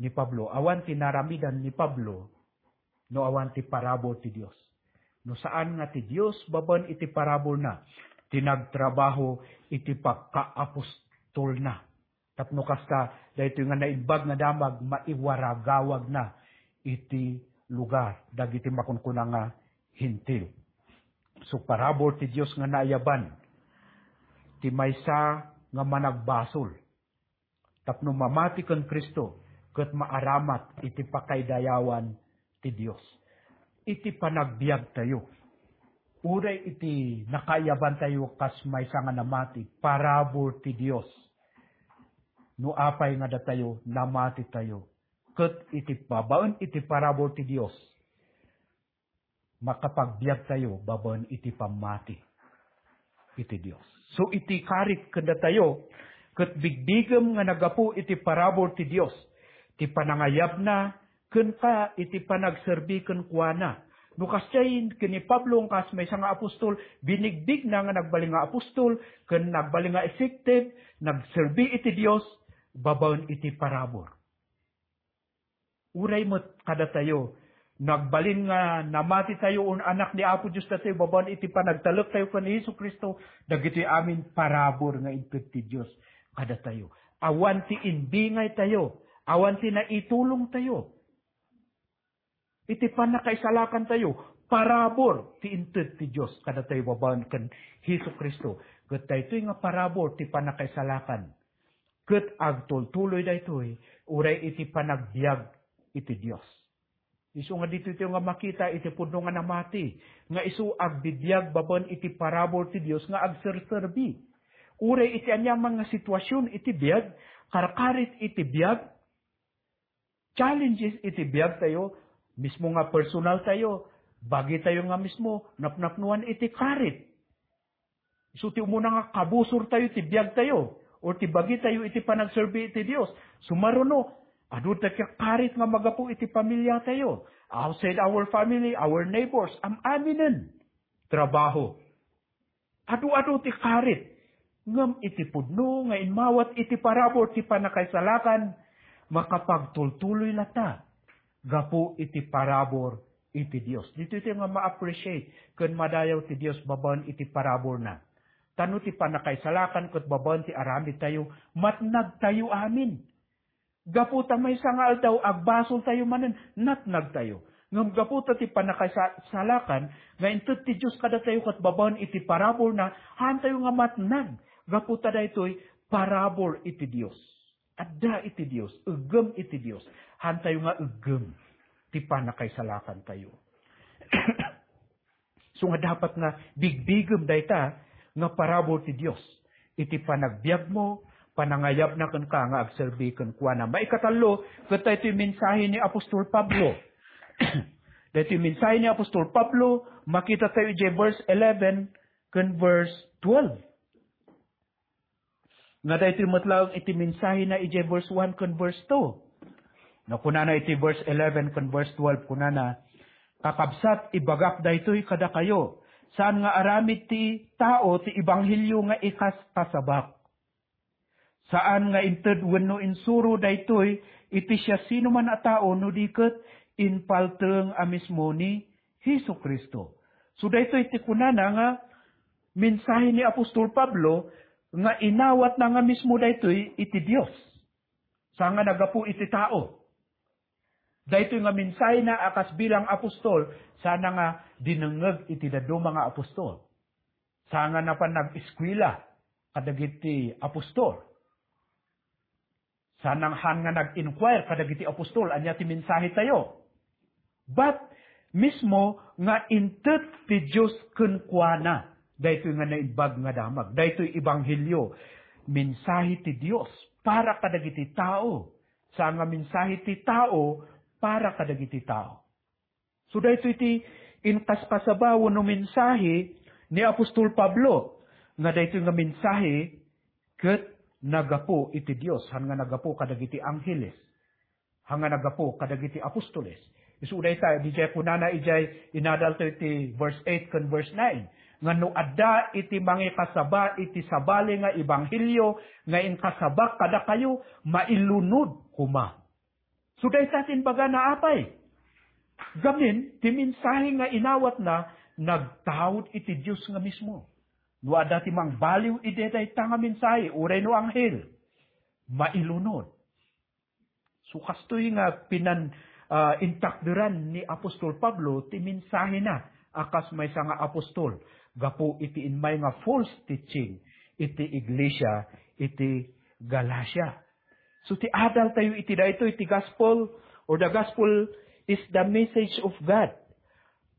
ni Pablo. Awan ti naramidan ni Pablo no awan ti parabur ti Dios. No saan nga ti Dios, babaen iti paraburna, ti nagtrabaho iti pagkaapostolna. Tapno kasta, daytoy nga naimbag nga damag, maiwaragawagna iti lugar dagiti makunkuna nga Hentil. So, parabur ti Dios nga naayaban ti maysa nga managbasol tapno mamati ken Cristo ket maaramat iti pakaidayawan ti Dios. Iti panagbiagtayo, uray iti nakaayabantayo kas maysa nga namati, parabur ti Dios. No apay nga datayo, namatitayo. Ket iti babaen iti parabur ti Dios, makapagbiagtayo babaen iti pammati iti Dios. So, iti karit ken datayo, ket bigbigem nga naggapu iti parabur ti Dios, ti panangayabna, ken ka iti panagserbi kenkuana. No kasdiay ken ni Pablo, kas maysa nga apostol, binigbigna nga nagbalin nga apostol, ken nagbalin nga effective, nagserbi iti Dios, babaen iti parabur. Uray met kadatayo, nagbalin nga namati tayo, un anak ni Apo Dios datayo, babaen iti panagtalek tayo ken ni Jesu-Cristo, dagitoy amin parabur nga inted ti Dios kadatayo. Awan ti imbingay tayo, awan ti naitulong tayo. Iti pannakaisalakan tayo, parabur ti inted ti Dios kadatayo babaen ken Jesu-Cristo. Ket daytoy nga parabur ti pannakaisalakan. Ket agtultuloy daytoy, uray iti panagbiag iti Dios. Isu nga ditoy tayo nga makita iti pudno nga namati, nga isu agbibiag babaen iti parabur ti Dios nga agserserbi. Uray iti aniaman nga situasion iti biag, karkarit iti biag, challenges iti biag tayo, mismo nga personal tayo, bagi tayo nga mismo, napnapnuan iti karit. Isu ti umuna nga kabusor tayo ti biag tayo, or ti bagi tayo iti panagserbi iti Dios. Sumaruno, adu ti karit nga magapu iti pamilya tayo. Outside our family, our neighbors, am-aminen. Trabaho. Adu-adu ti karit. Ngem iti pudno nga immawat iti parabur ti pannakaisalakan, makapagtultuloy latta gapu iti parabur iti Dios. Ditoy ti nga ma-appreciate ken madayaw ti Dios babaen iti paraburna. Ta no ti pannakaisalakan ket babaen ti aramidtayo, matnagtayo amin. Gapu ta maysa nga aldaw, agbasoltayo manen, natnagtayo. Ngem gapu ta ti pannakaisalakan nga inted ti Dios kadatayo ket babaen iti paraburna, haantayo nga matnag. Gapu ta daytoy parabur iti Dios. Adda iti Dios, eggem iti Dios. Haantayo nga eggem ti pannakaisalakantayo. So nga dapat nga bigbigem dayta nga parabur ti Dios iti panagbiagmo, panangayabna kenka nga agserbi kenkuana. Maikatallo, ket daytoy mensahe ni Apostol Pablo. Daytoy mensahe ni Apostol Pablo, makita tayo idiay verse eleven ken verse twelve. Nga daytoy met laeng iti mensahena idiay verse one ken verse two. No, kunana iti verse eleven ken verse twelve, kunana, "Kakabsat, ibagak daytoy kadakayo, saan nga aramid ti tao ti ebanghelio nga ikaskasabak. Saan nga inted wenno insuro daytoy iti siasinoman a tao no di ket impalteng a mismo ni Jesu-Cristo." So daytoy ti kunana nga mensahe ni Apostol Pablo nga inawatna nga mismo daytoy iti Dios. Saan nga naggapu iti tao. Daytoy nga mensahena a kas bilang apostol, saan nga dinengngeg iti dadduma nga apostol. Saan nga napan nag-eskuela kadagiti apostol. Saan nga, han nga nag-inquire kadagiti apostol, ania ti mensahe tayo. But, mismo nga inted ti Dios kenkuana, daytoy nga naimbag nga damag, daytoy ebanghelio, mensahe ti Dios para kadagiti tao, saan nga mensahe ti tao para kadagiti tao. So, daytoy ti inkaskasaba wenno mensahe ni Apostol Pablo, nga daytoy nga mensahe ket naggapu iti Dios, han nga naggapu kadagiti angheles, han nga naggapu kadagiti apostoles. Isu dayta, idiay kunana, idiay inadalto iti verse eight ken verse nine, nga no adda iti mangikasaba iti sabali nga ebanghelio nga inkasabak kadakayo, mailunod koma. So, dayta ti imbagana, apay. Gamin, ti mensahe nga inawatna, nagtaud iti Dios nga mismo. No adda ti mangbaliw iti dayta nga mensahe, uray no anghel, mailunod. So, kastoy nga pinan, ah, intakderan ni Apostol Pablo ti mensahena a kas maysa nga apostol gapu iti immay nga false teaching iti iglesia iti Galacia. So, ti adal tayo iti daytoy, ti gospel, or the gospel is the message of God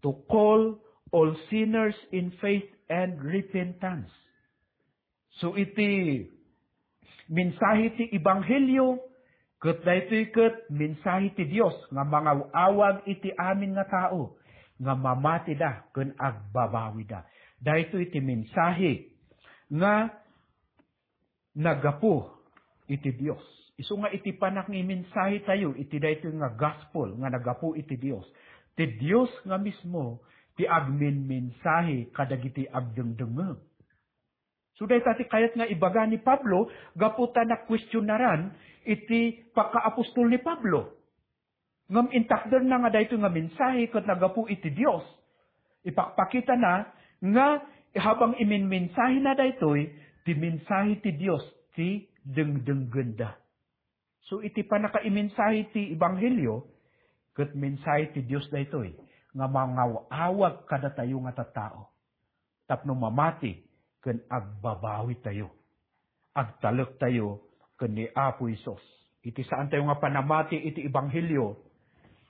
to call all sinners in faith and repentance. So, iti mensahe ti ebanghelio, ket daytoy ket mensahe ti Dios nga mangaw-awag iti amin nga tao nga mamatida ken agbabawida. Daytoy ti mensahe nga naggapu iti Dios. Isu nga iti panangimensahe tayo iti daytoy nga gospel nga naggapu iti Dios, ti Dios nga mismo ti agminmensahe kadagiti agdengdengngeg. So, dayta ti kayat nga ibaga ni Pablo gapu ta nakuestionaran iti pakaapostol ni Pablo. Ngem intakderna nga daytoy nga mensahe ket naggapu iti Dios. Ipakpakitana nga habang iminmensahena daytoy, ti mensahe ti Dios ti dengdenggenda. So, iti pannakaimensahe ti ebanghelio, ket mensahe ti Dios daytoy nga mangaw-awag kadatayo nga tattao tapno mamati ken agbabawitayo. Agtalektayo ken ni Apo Jesus. Iti saantayo nga panamati iti ebanghelio,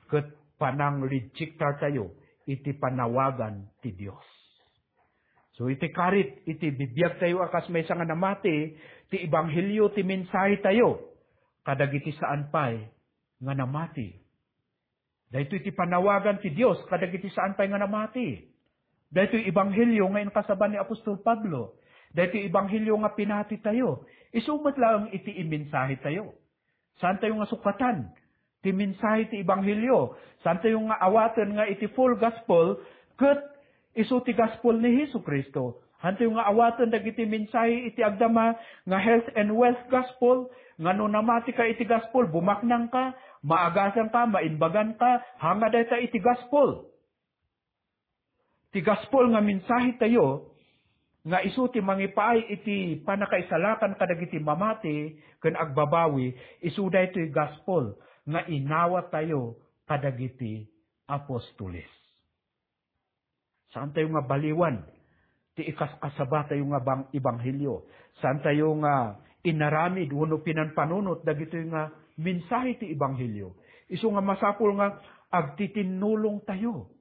ket panangrejektartayo iti panawagan ti Dios. So, iti karit, iti bibiagtayo a kas maysa nga namati, ti ebanghelio ti mensahetayo kadagiti saan pay nga namati. Daytoy ti panawagan ti Dios kadagiti saan pay nga namati. Daytoy ebanghelio nga inkasaba ni Apostol Pablo. Daytoy ebanghelio nga pinatitayo. Isu met laeng iti imensahetayo. Saantayo nga sukatan ti mensahe ti ebanghelio. Saantayo nga awaten nga iti full gospel ket isu ti gospel ni Jesu-Cristo. Hantayo nga awaten dagiti mensahe iti agdama nga health and wealth gospel, nga no namati ka iti gospel, bumaknang ka, maagasan ka, maimbagan ka, hanga dayta iti gospel. Ti gospel nga mensahe tayo, nga isu ti mangipaay iti pannakaisalakan kadagiti mamati ken agbabawi, isu daytoy gospel nga inawat tayo kadagiti apostoles. Saan tayo nga baliwan ti ikaskasaba tayo nga bang-, ebanghelio. Saan tayo nga inaramid wenno pinanpanunot dagitoy nga mensahe ti ebanghelio. Isu nga masapul nga agtitinnulong tayo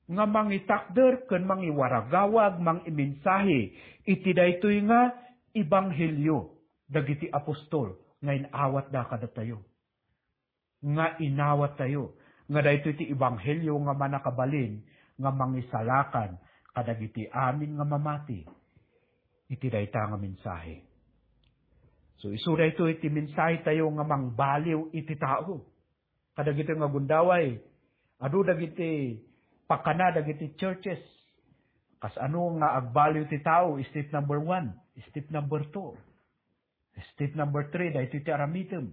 nga mangitakder ken mangiwaragawag, mangimensahe iti daytoy nga ebanghelio dagiti apostol nga inawatda kadatayo. Nga inawat tayo nga daytoy ti ebanghelio nga mannakabalin nga mangisalakan kadagiti amin nga mamati iti dayta nga mensahe. So, isu daytoy ti mensahe tayo nga mangbaliw iti tao. Kadagitoy nga gundaway, adu dagiti pakana dagiti churches. Kas ano nga agbaliw ti tao, step number one, step number two. Step number three, daytoy ti aramidem.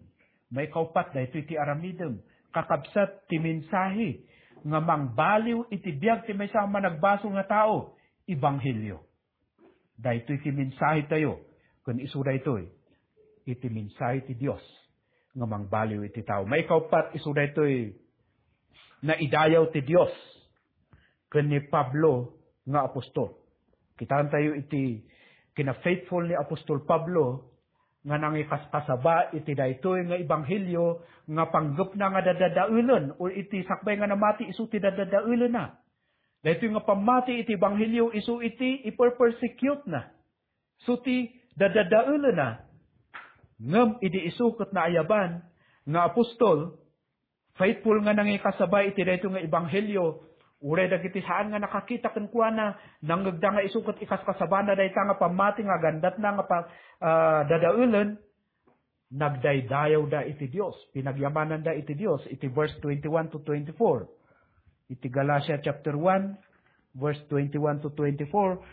Maikaupat, daytoy ti aramidem. Kakabsat ti mensahe nga mangbaliw iti biag ti maysa a managbasol nga tao, ebanghelio. Daytoy ti mensahe tayo, ken isu daytoy iti mensahe ti Dios nga mangbaliw iti tao. Maikaupat, isu daytoy naidayaw ti Dios ken ni Pablo nga apostol. Kitaan tayo iti kina-faithful ni Apostol Pablo nga nangikaskasaba iti daytoy nga ebanghelio nga panggepna nga dadadaelen, o iti sakbay nga namati isu ti dadadaelenna. Daytoy nga pammati iti ebanghelio isu iti iperpersecute-na. Isu ti dadadaelenna. Ngem idi isu ket naayaban nga apostol, faithful nga nangikasaba iti daytoy nga ebanghelio, uray dagiti saan nga nakakita kenkuana, nangngegda nga isu ket ikaskasabana dayta nga pammati nga agandatna nga pa-, ah, dadaelen, nagdaydayawda iti Dios, pinagyamananda iti Dios, iti verse twenty-one to twenty-four. Iti Galatia chapter one, verse twenty-one to twenty-four,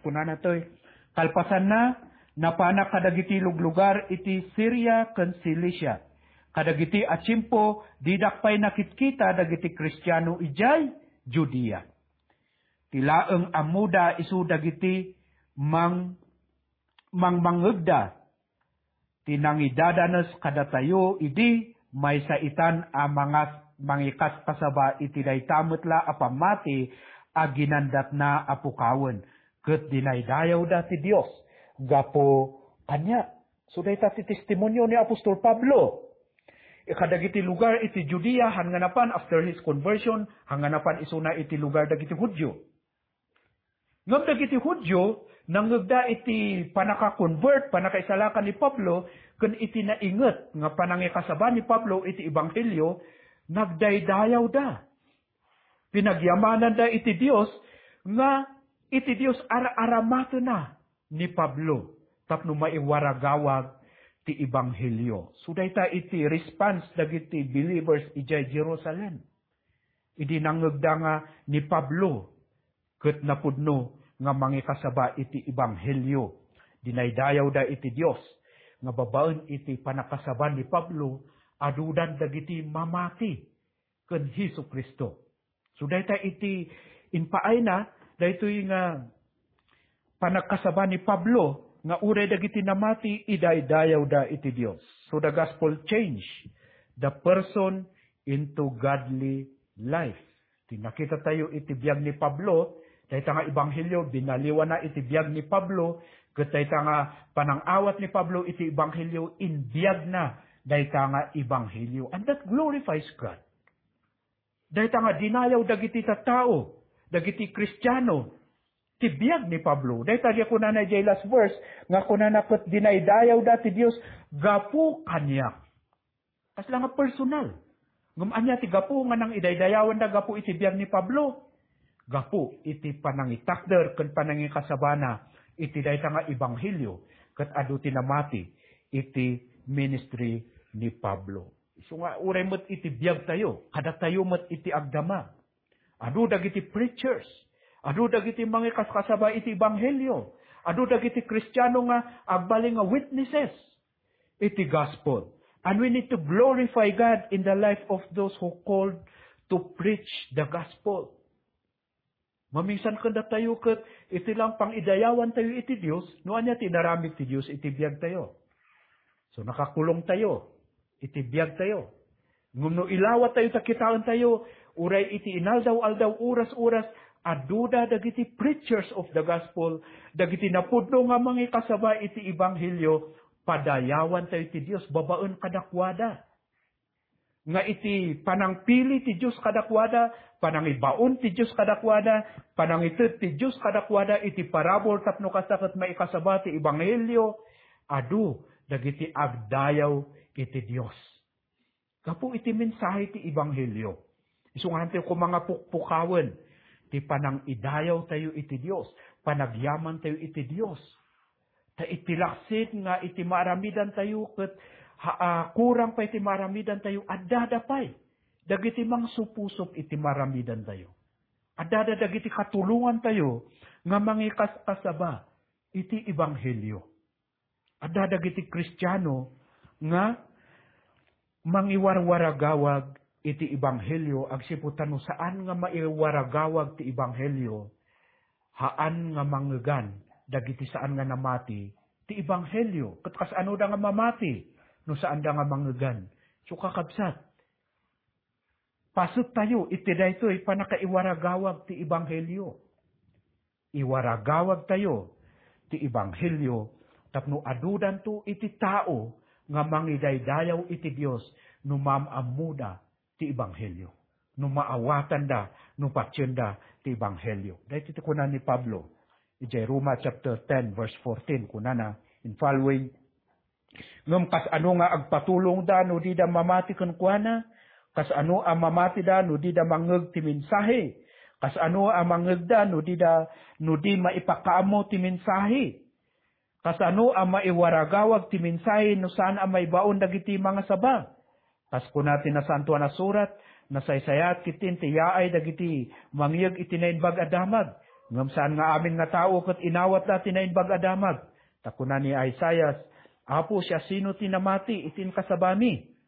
kunana toy, "Kalpasanna, napanak kadagiti luglugar iti Siria ken Cilicia. Kadagiti a tiempo, didak pay nakitkita dagiti Kristiano idiay Judea. Ti laeng ammoda isu dagiti mang-, mangmangngegda ti nangidadanes kadatayo idi maysa itan a mangas-, mangikaskasaba iti dayta met la a pammati a ginandatna a pukawen, ket dinaydayawda ti Dios gapu kaniak." So, dayta ti testimonio ni Apostol Pablo. Kadagiti lugar iti Judea, han nga napan after his conversion, han nga napan isuna iti lugar dagiti Judio. Ngem dagiti Judio, nangngegda iti panaka-convert, panakaisalakan ni Pablo, ken iti nainget nga panangikasaba ni Pablo iti ebanghelio, nagdaydayawda. Pinagyamananda iti Dios nga iti Dios ar-aramatena ni Pablo tapno maiwaragawag ti ebanghelio. So, dayta iti response dagiti believers idiay Jerusalem. Idi nangngegda nga ni Pablo ket napudno nga mangikasaba iti ebanghelio, dinaydayawda iti Dios nga babaen iti panakasaban ni Pablo, adudan dagiti mamati ken Jesu-Cristo. So, dayta iti impaayna, daytoy nga panagkasaba ni Pablo nga uray dagiti namati, idaydayawda iti Dios. So, the gospel change the person into godly life. Ti nakita tayo iti biag ni Pablo, dayta nga ebanghelio, binaliwana iti biag ni Pablo, ket dayta nga panangawat ni Pablo iti ebanghelio, inbiagna dayta nga ebanghelio. And that glorifies God. Dayta nga dinayaw dagiti tattao, dagiti Kristiano, ti biag ni Pablo. Dayta nga kunana idiay last verse, nga kunana ket dinaydayawda ti Dios gapu kaniak. Kasla nga personal. Ngem ania ti gapu nga nangidaydayawanda gapu iti biag ni Pablo? Gapu iti panangitakder ken panangikasabana iti dayta nga ebanghelio, ket adu ti namati iti ministry ni Pablo. Isu nga uray met iti biag tayo, kadatayo met iti agdama. Adu dagiti preachers, adu dagiti mangikaskasaba iti ebanghelio, adu dagiti Kristiano nga agbalin nga witnesses iti gospel. And we need to glorify God in the life of those who called to preach the gospel. Maminsan kanda tayo ket iti lang pang-idayawan tayo iti Dios, no ania ti inaramid ti Dios iti biag tayo. So, nakakulong tayo iti biag tayo. Ngem no ilawat tayo ta kitaen tayo, uray iti inaldaw-aldaw, oras-oras, aduda dagiti preachers of the gospel, dagiti napudno nga mangikasaba iti ebanghelio, padayawan tayo ti Dios babaen kadakuada. Nga iti panangpili ti Dios kadakuada, panangibaon ti Dios kadakuada, panangited ti Dios kadakuada iti parabur tapno kasta ket maikasaba ti ebanghelio, adu dagiti agdayaw iti Dios. Gapu iti mensahe ti ebanghelio, isu nga hantayo koma nga pukpukawen ti panangidayaw tayo iti Dios, panagyaman tayo iti Dios. Ta iti laksid nga iti maaramidan tayo ket ha, ah, kurang pay ti maaramidan tayo, addada pay dagiti mangsupsup iti maaramidan tayo. Addada dagiti katulongan tayo nga mangikaskasaba iti ebanghelio. Adda dagiti Kristiano nga mangiwarwaragawag iti ebanghelio, agsipud ta no saan nga maiwaragawag ti ebanghelio, haan nga mangngegan dagiti saan nga namati ti ebanghelio. Ket kasanoda nga mamati no saanda nga mangngegan? So, kakabsat, paset tayo iti daytoy pannakaiwaragawag ti ebanghelio. Iwaragawag tayo ti ebanghelio tapno adudanto iti tao nga mangidaydayaw iti Dios no maam-ammoda ti ebanghelio, no maawatanda, no patienda ti ebanghelio. Daytoy ti kuna ni Pablo idiay Roma chapter ten, verse fourteen, kunana in following, Ngem kasano nga agpatulongda no dida mamati kenkuana? Kasano a mamatida no dida mangngeg ti mensahe? Kasano a mangngegda no dida, no di maipakaammo ti mensahe? Kasano a maiwaragawag ti mensahe no saan a maibaon dagiti mangasaba? Kas kuna ti Nasantoan a Surat, nasaysayaat ketdin ti yaay dagiti mangyeg iti Naimbag a Damag. Ngem saan nga amin nga tao ket inawatda ti Naimbag a Damag. Ta kuna ni Isaias, "Apo, siasino ti namati iti inkasabami?"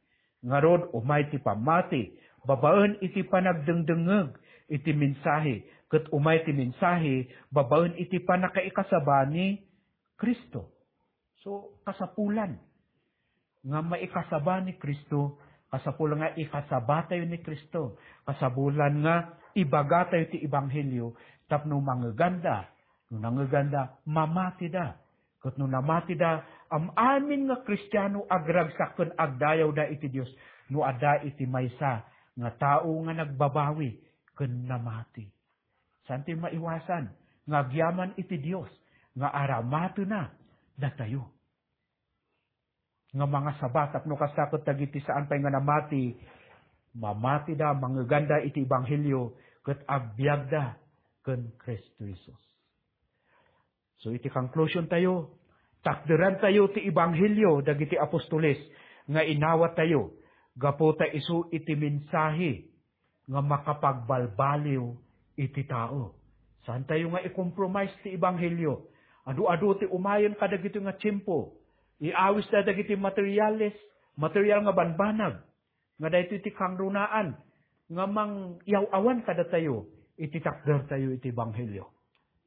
Ngarud, umay ti pammati babaen iti panagdengdengngeg iti mensahe, ket umay ti mensahe babaen iti pannakaikasaba ni Cristo. So, kasapulan nga maikasaba ni Cristo, kasapul nga ikasaba tayo ni Cristo, kasapulan nga ibaga tayo ti ebanghelio tapno mangngeganda, no nangngeganda, mamatida. Ket no namatida, am-amin nga Kristiano agragsak ken agdayawda iti Dios no adda iti maysa nga tao nga nagbabawi ken namati. Saan ti maiwasan nga agyaman iti Dios nga aramatena datayo nga mangasaba tapno kasta ket dagiti saan pay nga namati, mamatida, mangngeganda iti ebanghelio ket agbiagda ken Cristo Jesus. So, iti conclusion tayo, takderan tayo ti ebanghelio dagiti apostoles nga inawat tayo gapu ta isu iti mensahe nga makapagbalbaliw iti tao. Saan tayo nga i-compromise ti ebanghelio? Adu-adu ti umayen kadagitoy nga tiempo. Iawisda dagiti materiales, material nga banbanag. Nga daytoy ti kangrunaan nga mangyaw-awan kadatayo iti takder tayo iti ebanghelio.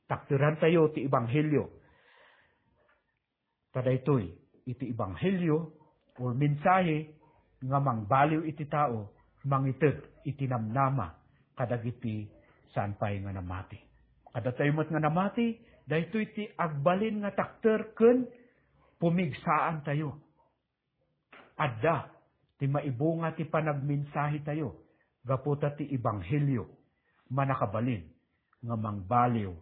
Takderan tayo ti ebanghelio. Ta daytoy iti ebanghelio or mensahe nga mangbaliw iti tao, mangited iti namnama kadagiti saan pay nga namati. Kadatayo met nga namati, daytoy ti agbalin nga takder ken pumigsaan tayo. Adda ti maibunga ti panagmensahe tayo gapu ta ti ebanghelio mannakabalin nga mangbaliw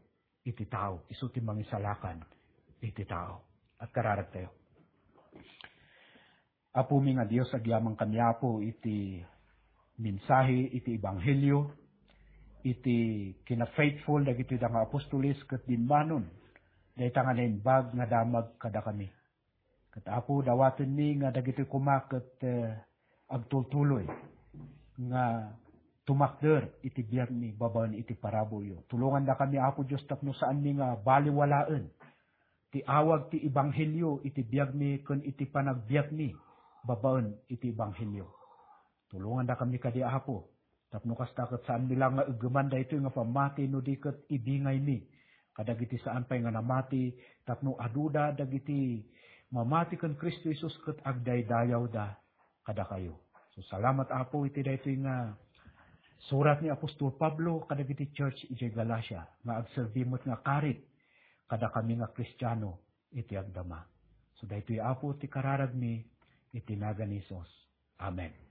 iti tao, isu ti mangisalakan iti tao. Agkararag tayo. Apomi nga Dios, agyamankami, Apo, iti mensahe iti ebanghelio, iti kina-faithful dagitoy da nga apostoles ket dinmanon dayta nga naimbag nga damag kadakami. Ket, Apo, dawatenmi nga dagitoy koma ket, eh, agtultuloy nga tumakder iti biagmi babaen iti paraburyo. Tulongandakami, Apo Dios, tapno saanmi nga baliwalaen ti awag ti ebanghelio iti biagmi ken iti panagbiagmi babaen iti ebanghelio. Tulongandakami kadi, Apo, Tapno kasta ket saanmi la nga eggeman daytoy nga pammati no di ket ibingaymi kadagiti saan pay nga namati, tapno aduda dagiti mamati ken Cristo Jesus ket agdaydayawda kadakayo. So, salamat, Apo, iti daytoy nga surat ni Apostol Pablo kadagiti church idiay Galacia nga agserbi met nga karit kadakami nga Kristiano iti agdama. So, daytoy, Apo, ti kararagmi iti nagan ni Jesus. Amen.